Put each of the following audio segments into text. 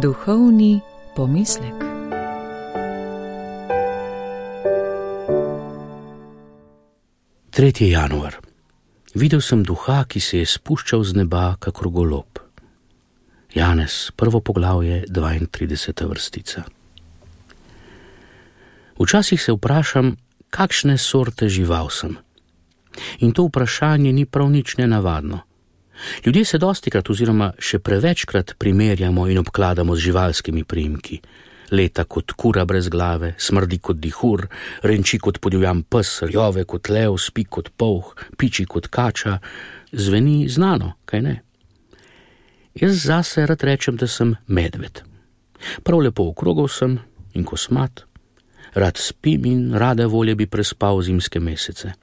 Duhovni pomislek. Tretji januar. Videl sem duha, ki se je spuščal z neba kakor golob. Janez, 1. poglavje, 32. vrstica. Včasih se vprašam, kakšne sorte žival sem. In to vprašanje ni prav nič nenavadno. Ljudje se dostikrat oziroma še prevečkrat primerjamo in obkladamo z živalskimi priimki. Leta kot kura brez glave, smrdi kot dihur, renči kot podivjan pes, rjove kot lev, spi kot polh, piči kot kača. Zveni znano, kaj ne? Jaz zase rad rečem, da sem medved. Prav lepo okrogel sem in kosmat. Rad spim in rade volje bi prespal zimske mesece.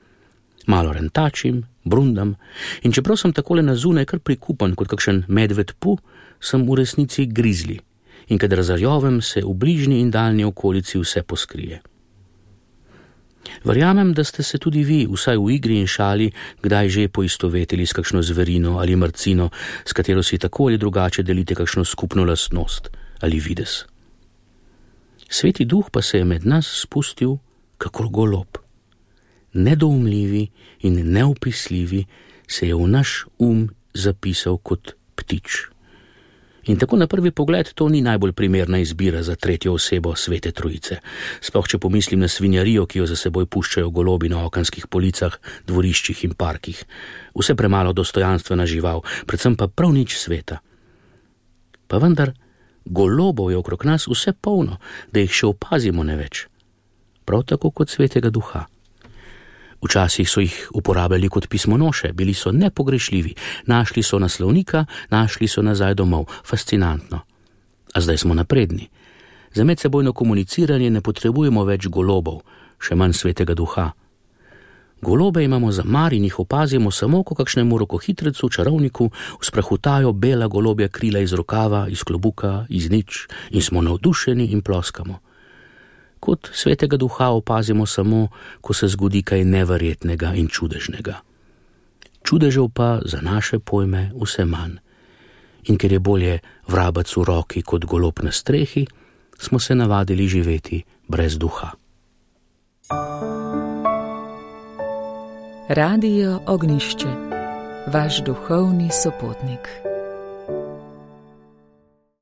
Malo rentačim, brundam in čeprav sem takole na zunaj kar prikupan kot kakšen medved pu, sem v resnici grizli in kadar zarjovem, se v bližnji in daljni okolici vse poskrije. Verjamem, da ste se tudi vi, vsaj v igri in šali, kdaj že poistovetili s kakšno zverino ali mrcino, s katero si tako ali drugače delite kakšno skupno lastnost ali videz. Sveti duh pa se je med nas spustil kakor golob. Nedoumljivi in neopisljivi se je v naš zapisal kot ptič. In tako na prvi pogled to ni najbolj primerna izbira za tretjo osebo Svete Trojice. Sploh če pomislim na svinjarijo, ki jo za seboj puščajo golobi na okenskih policah, dvoriščih in parkih. Vse premalo dostojanstvena žival, predvsem pa prav nič sveta. Pa vendar, golobov je okrog nas vse polno, da jih še opazimo ne več. Prav tako kot Svetega Duha. Včasih so jih uporabljali kot pismonoše, bili so nepogrešljivi, našli so naslovnika, našli so nazaj domov. Fascinantno. A zdaj smo napredni. Za medsebojno komuniciranje ne potrebujemo več golobov, še manj Svetega Duha. Golobe imamo za mar in jih opazimo samo, ko kakšnemu rokohitrecu, čarovniku, vzprahutajo bela golobja krila iz rokava, iz klobuka, iz nič in smo navdušeni in ploskamo. Kot Svetega Duha opazimo samo, ko se zgodi kaj neverjetnega in čudežnega. Čudežev pa za naše pojme vse manj. In ker je bolje vrabec v roki kot golob na strehi, smo se navadili živeti brez duha. Radio Ognjišče, vaš duhovni sopotnik.